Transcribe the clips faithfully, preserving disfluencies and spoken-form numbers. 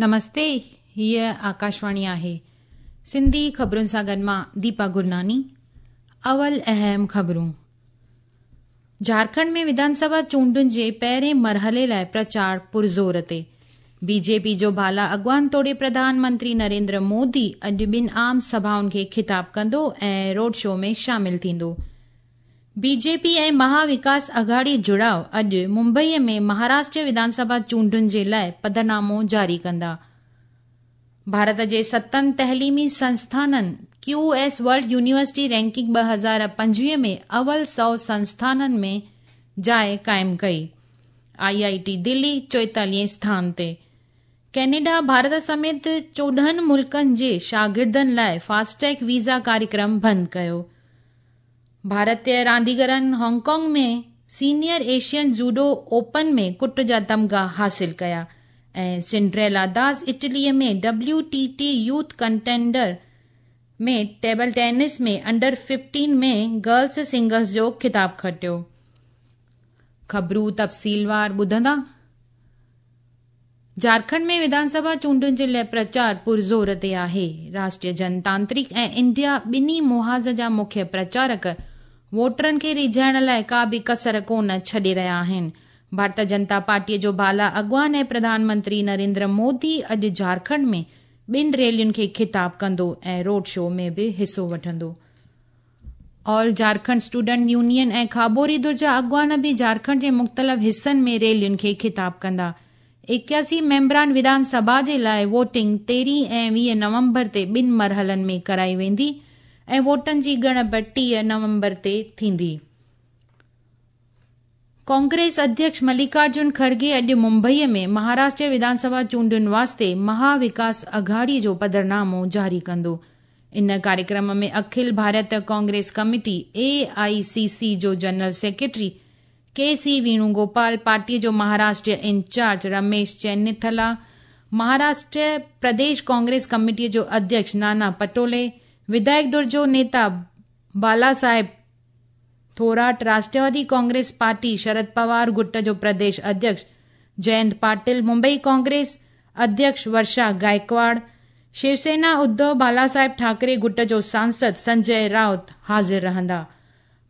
نمستي، هيءَ آڪاشواڻي آهي. سنڌي خبرن سان گڏ مان ديپا گرناني. اول اهم خبرون. جهارکنڊ ۾ وڌان سڀا چونڊن جي پهرين مرحلي لاءِ پرچار پرزور تي. بي جي پي جو بالا اڳواڻ توڙي پرڌان منتري نريندر مودي اڄ ٻن عام سڀائن کي خطاب ڪندو ۽ روڊ شو ۾ شامل ٿيندو. بي جي پي ۽ مها وڪاس اگهاڙي جڙاءُ اڄ ممبئيءَ ۾ مهاراشٽر وڌان سڀا چونڊن جي لاءِ پڌرنامو جاري ڪندا. ڀارت جي ستن تعليمي سنسٿانن Q S world university ranking ٻه هزار پنجويهه ۾ اول سؤ سنسٿانن ۾ جاءِ قائم ڪئي. I I ٽي دلي چوئيتاليهين اسٿان تي. ڪينيڊا ڀارت سميت چوڏهن ملڪن جي شاگردن لاءِ فاسٽيگ ويزا ڪاريڪرم بند ڪيو. ڀارتيه رانديگرن Hong Kong ۾ senior Asian judo open ۾ ڪٽ جا تمغا حاصل ڪيا ۽ سنڊريلا داس اٽليءَ ۾ W T T youth contender ۾ table tennis ۾ under fifteen ۾ girls singles جو خطاب کٽيو. خبرون تفصيلوار ٻڌندا. جهارکنڊ ۾ وڌان سڀا چونڊن جي لاءِ پرچار پرزور تي آهي. راشٽريه جنتانترڪ ۽ انڊيا ٻنهي محاذ جا مکيه پرچارڪ ووٽرن کي ريجهائڻ لاءِ ڪا به ڪسر ڪونه ڇڏي رهيا آهن. ڀارتيه جنتا پارٽيءَ جو بالا اڳواڻ ۽ پرڌان منتري نريندر مودي اڄ جهارکنڊ ۾ ٻن ريلين کي خطاب ڪندو ۽ روڊ شو ۾ به حصو وٺندو. آل جهارکنڊ اسٽوڊنٽ يونين ۽ کابوري ڌر جا اڳواڻ به جهارکنڊ جي مختلف حصن ۾ ريلين کي خطاب ڪندا. ايڪياسي ميمبران وڌان سڀا جي لاءِ ووٽنگ تيرهين ۽ ويهه نومبر تي ٻن مرحلن ۾ ڪرائي ويندي ۽ ووٽن جي ڳڻپ ٽيهه نومبر تي ٿيندي. ڪانگريس اڌيڪش ملڪارجن کرگي اڄ ممبئيءَ ۾ مهاراشٽر وڌان سڀا چونڊن واسطي مها وڪاس اگهاڙي جو پڌرنامو جاري ڪندو. ان ڪاريڪرم ۾ اکل ڀارت ڪانگريس ڪميٽي اي آئي سي سي جو جنرل سيڪريٽري ڪي سي ويڻوگوپال، پارٽيءَ جو مهاراشٽر انچارج رميش چينيٿلا، مهاراشٽر پرديش ڪانگريس ڪميٽيءَ جو اڌيڪش نانا پٽولي، وڌايڪ ڌر جو نيتا بالا صاحب ٿوراٽ، راشٽروادي ڪانگريس پارٽي شرد پوار گٽ جو پرديش اڌيڪش جينت پاٽل، ممبئي ڪانگريس اڌيڪش ورشا گائڪواڙ، شوسينا اڌو بالا صاحب ٺاڪري گٽ جو سانسد سنجي رائوت حاضر رهندا.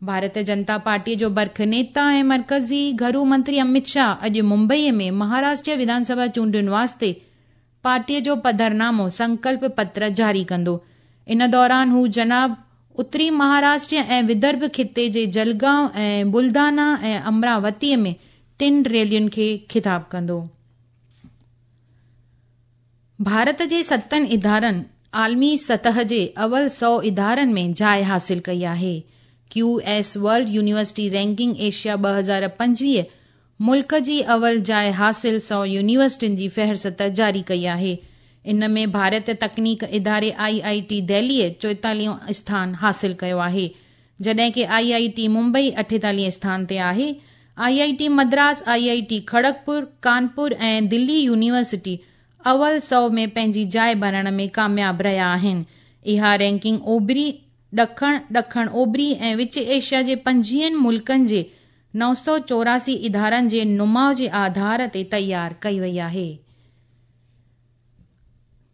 ڀارتيه جنتا پارٽيءَ جو برک نيتا ۽ مرڪزي گهرو منتري امت شاهه اڄ ممبئيءَ ۾ مهاراشٽر وڌان سڀا چونڊن واسطي پارٽيءَ جو پڌرنامو سنڪلپ پتر جاري ڪندو. ان دوران هو جناب اتري مهاراشٽر ۽ ودرڀ خطي جي جلگائون ۽ بلدانا ۽ امراوتيءَ ۾ ٽن ريلين کي خطاب ڪندو. ڀارت جي ستن ادارن عالمي سطح جي اول سؤ ادارن ۾ جاءِ حاصل ڪئي آهي. Q S world university ranking Asia ٻه هزار پنجويهه ملڪ جي اول جاءِ حاصل سؤ يونيورسٽين جي فهرست جاري ڪئي آهي. ان ۾ ڀارت تڪنيڪ اداري I I ٽي دهليءَ چوئيتاليهون اسٿان حاصل ڪيو آهي، جڏهن ڪه I I ٽي ممبئي اٺيتاليهين اسٿان تي آهي. I I T Madras, I I T Kharagpur, Kanpur ۽ Delhi university اول سؤ ۾ پنهنجي جاءِ بڻائڻ ۾ ڪامياب رهيا آهن. اها رينڪنگ اوڀري، ڏکڻ، ڏکڻ اوڀري ۽ وچ ايشيا جي پنجويهن ملڪن جي نو سؤ چوراسي ادارن جي نماءُ جي آڌار تي تيار ڪئي وئي آهي.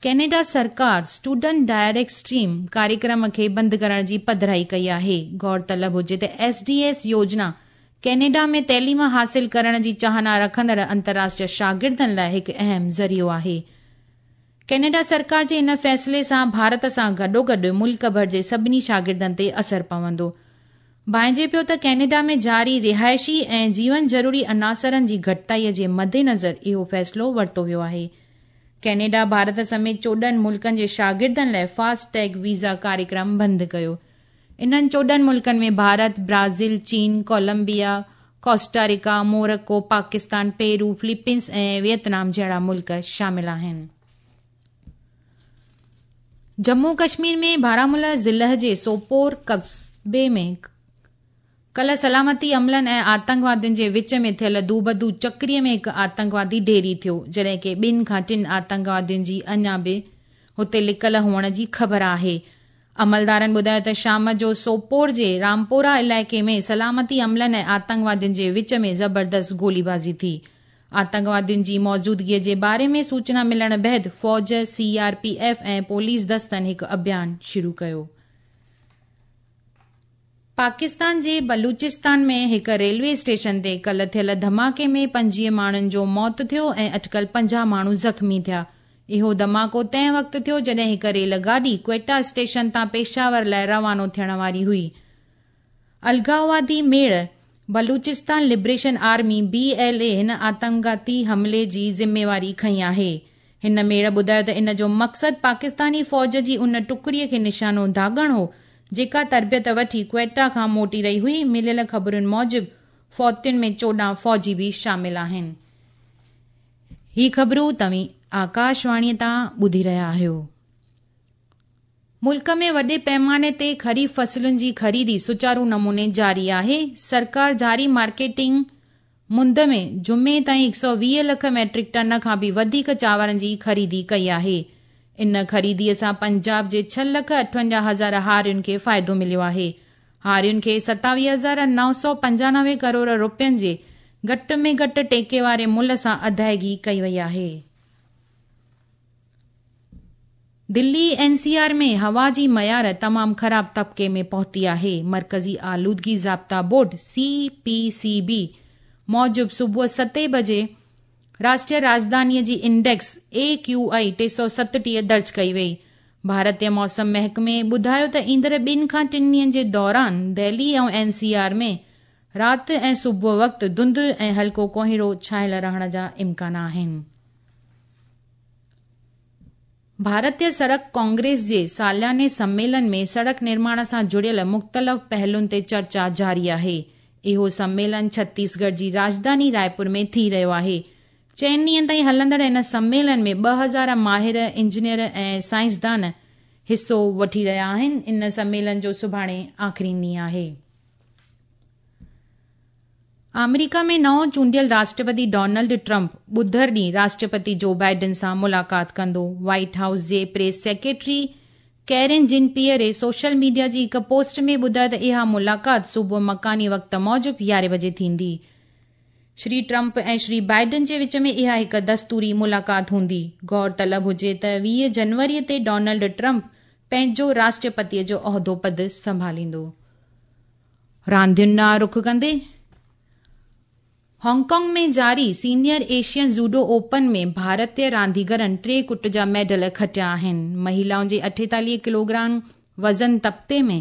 ڪينيڊا سرڪار اسٽوڊنٽ ڊائريڪٽ اسٽريم ڪاريڪرم کي بند ڪرڻ جي پڌرائي ڪئي آهي. غور طلب هجي ته ايس ڊي ايس يوجنا ڪينيڊا ۾ تعليم حاصل ڪرڻ جي چاهنا رکندڙ انترراشٽريه شاگردن لاءِ هڪ اهم ذريعو آهي. ڪينيڊا سرڪار جي ان فيصلي سان ڀارت سان گڏوگڏ ملڪ ڀر جي سڀني شاگردن تي اثر پوندو. ڀانئجي پيو ته ڪينيڊا ۾ جاري رهائشي ۽ جيون ضروري عناصرن جي گهٽتائيءَ جي مدنظر اهو فيصلو ورتو ويو آهي. ڪينيڊا ڀارت سميت چوڏهن ملڪن جي شاگردن لاءِ فاسٽ ٽيگ ويزا ڪاريڪرم بند ڪيو. انهن چوڏهن ملڪن ۾ ڀارت، برازيل، چين، ڪولمبيا، ڪوسٽاريڪا، مورڪو، پاڪستان، پيرو، فلپينس ۽ ويٽنام جهڙا ملڪ شامل آهن. ڄمون ڪشمير ۾ بارامولا ضلع جي سوپور قصبي ۾ ڪلهه سلامتي عملن ۽ آتنڪوادين جي وچ ۾ ٿيل دوبدو چڪريءَ ۾ هڪ آتنڪوادي ڍيري ٿيو، جڏهن ڪه ٻن کان ٽن آتنڪوادين جي اڃا به هتي لڪل هئڻ جي خبر آهي. عملدارن ٻڌايو ته شام جو سوپور جي رامپورا علائقي ۾ سلامتي عملن ۽ آتنڪوادين جي وچ ۾ زبردست گوليبازي ٿي. آتنڪوادين جي موجودگيء جي باري ۾ سوچنا ملڻ بعد فوج، C R P F ۽ police دستن هڪ اڀيان شروع ڪيو. پاڪستان جي بلوچستان ۾ هڪ ريلوي اسٽيشن تي ڪالهه ٿيل ڌماڪي ۾ پنجويهه ماڻهن جو موت ٿيو ۽ اٽڪل پنجاهه ماڻهو زخمي ٿيا. اهو ڌماڪو تنهن وقت ٿيو جڏهن هڪ ريل گاڏي ڪوئيٽا اسٽيشن تان پشاور لاءِ روانو ٿيڻ واري هئي. الغاوادي ميڙ Balochistan liberation army B L A هن آتنڪاتي حملي جي ذميواري کنئي آهي. هن ميڙ ٻڌايو ته ان جو مقصد پاڪستاني فوج جي ان ٽڪڙي کي نشانو داغڻ هو جيڪا تربيت وٺي ڪوئيٽا کان موٽي رهي هئي. مليل خبرن موجب فوتين ۾ چوڏهن فوجي به شامل آهن. هي خبرون توهين آڪاشواڻيءَ تان ٻڌي رهيا آهيو. ملڪ ۾ وڏي پيماني تي خريف فصلن جي خريدي سچارو نموني جاري آهي. سرڪار جاري مارڪيٽنگ مند ۾ جمعي تائين هڪ سؤ ويهه لک ميٽرڪ ٽن کان به وڌيڪ چانورن جي خريدي ڪئي آهي. ان خريديءَ سان پنجاب جي ڇهه لک اٺونجاهه هزار هارين کي فائدو مليو آهي. هارين کي ستاويهه هزار نو سؤ پنجانوي ڪروڙ رپين جي گهٽ ۾ گهٽ ٽيڪي واري ملهه سان ادائگي ڪئي وئي آهي. دلي اين سي آر ۾ هوا جي معيار تمام خراب طبقي ۾ پهتي آهي. مرڪزي آلودگي ضابطا بورڊ سي پي سي بي موجب صبح ستين بجي راشٽريه راڄڌانيءَ جي انڊيڪس اي ڪيو I T سؤ ستٽيهه درج ڪئي وئي. ڀارتيه موسم محڪمي ٻڌايو ته ايندڙ ٻن کان ٽن ڏينهن جي دوران دهلي ۽ اين سي آر ۾ رات ۽ صبح وقت ڌنڌ ۽ هلڪو ڪوهيڙو ڇانيل رهڻ جا امڪان آهن. ڀارتيه سڙڪ ڪانگريس جي سالياني سميلن ۾ سڙڪ نرماڻ سان جڙيل مختلف پهلن تي چرچا جاري آهي. اهو سميلن ڇتيسڳڙهه جي راڄڌاني رائپور ۾ ٿي رهيو آهي. چئن ڏينهن تائين هلندڙ هن سميلن ۾ ٻه هزار ماهر، انجنيئر ۽ سائنسدان حصو وٺي رهيا آهن. ان سميلن جو سڀاڻي آخري ڏينهن آهي. آمريڪا ۾ نئون چونڊيل راشٽرپتي ڊونلڊ ٽرمپ ٻڌر ڏينهن راشٽرپتي جو بائيڊن سان ملاقات ڪندو. وائيٽ هائوس جي press secretary Karine Jean Pierre social media جي هڪ پوسٽ ۾ ٻڌايو ته اها ملاقات صبح مڪاني وقت موجب يارهين بجي ٿيندي. شري ٽرمپ ۽ شري بائيڊن جي وچ ۾ اها هڪ دستوري ملاقات هوندي. غور طلب هجي ته ويهه جنوري تي ڊونلڊ ٽرمپ پنهنجو راشٽرپتيءَ جو عهدو پد سنڀاليندو. راندين ڏانهن رخ ڪندي هانگ ڪانگ ۾ جاري سينيئر ايشين جوڊو اوپن ۾ ڀارتيه رانديگرن ٽي ڪٽ جا ميڊل کٽيا آهن. مهلائن جي اٺيتاليهه ڪلوگرام وزن طبقي ۾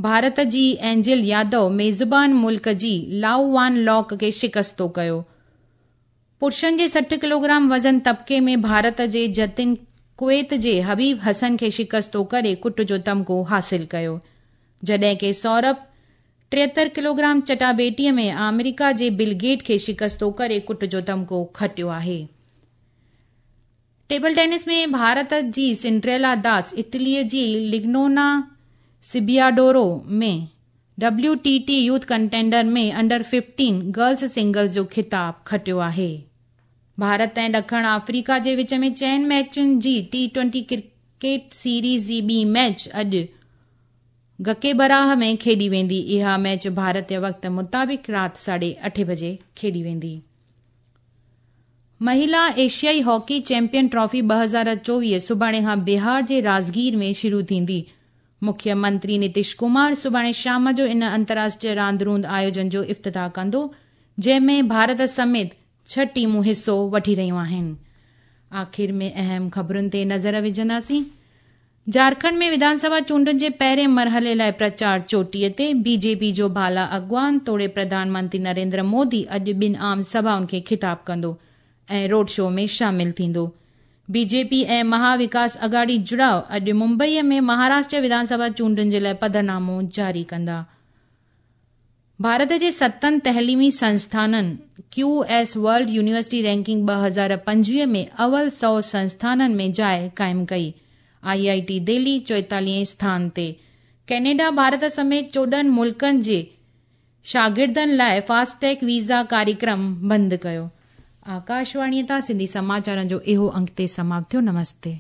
ڀارت جي اينجل يادو ميزبان ملڪ جي لائو وان لاڪ کي شڪستو ڪيو. پرشن جي سٺ ڪلوگرام وزن طبقي ۾ ڀارت جي جتن ڪويت جي حبيب حسن کي شڪستو ڪري ڪٽ جو تمغو حاصل ڪيو، جڏهن ڪه سورڀ ٽيهتر ڪلوگرام چٽاڀيٽيءَ ۾ آمريڪا جي بل گيٽ کي شڪستو ڪري ڪٽ جو تمغو کٽيو آهي. ٽيبل ٽينس ۾ ڀارت جي سنڊريلا داس اٽليءَ جي لگنونا سبياڊورو ۾ W T T youth contender ۾ under fifteen girls singles جو خطاب کٽيو آهي. ڀارت ۽ ڏکڻ آفريڪا جي وچ ۾ چئن ميچن جي ٽي ٽوئنٽي ڪرڪيٽ سيريز جي ٻي ميچ اڄ گڪيبراهه ۾ کيڏي ويندي. اها ميچ ڀارتيه وقت مطابق رات ساڍي اٺين بجي کيڏي ويندي. مهلا ايشيائي هاڪي چيمپيئن ٽرافي ٻه هزار چوويهه سڀاڻي کان بهار جي راجگير ۾ شروع ٿيندي. مکيه منتري نتيش ڪمار سڀاڻي شام جو ان انترراشٽريه راند روند آيوجن جو افتتاح ڪندو، جنهن ۾ ڀارت سميت ڇهه ٽيمون حصو وٺي رهيون آهن. آخر ۾ اهم خبرن تي نظر وجهنداسين. جهارکنڊ ۾ وڌانسڀا چونڊن جي پهرين مرحلي لاءِ پرچار چوٽيءَ تي. بي جي پي جو بالا اڳواڻ توڙي پرڌان منتري نريندر مودي اڄ ٻن عام سڀائن کي خطاب ڪندو ۽ روڊ شو ۾ شامل ٿيندو. بي جي پي ۽ مها وڪاس اگهاڙي جڙاءُ اڄ ممبئيءَ ۾ مهاراشٽر وڌانسڀا چونڊن جي لاءِ پڌرنامو جاري ڪندا. ڀارت جي ستن تعليمي سنسٿانن Q S world university ranking ٻه هزار پنجويهه ۾ اول سؤ سنسٿانن ۾ جاءِ قائم ڪئي. I I ٽي دهلي چوئيتاليهين اسٿان تي. ڪينيڊا ڀارت سميت چوڏهن ملڪن جي شاگردن لاءِ فاسٽيگ ويزا ڪاريڪرم بند ڪيو. آڪاشواڻيءَ تان سنڌي سماچارن جو اهو انگ تي سماپت ٿيو. نمستي.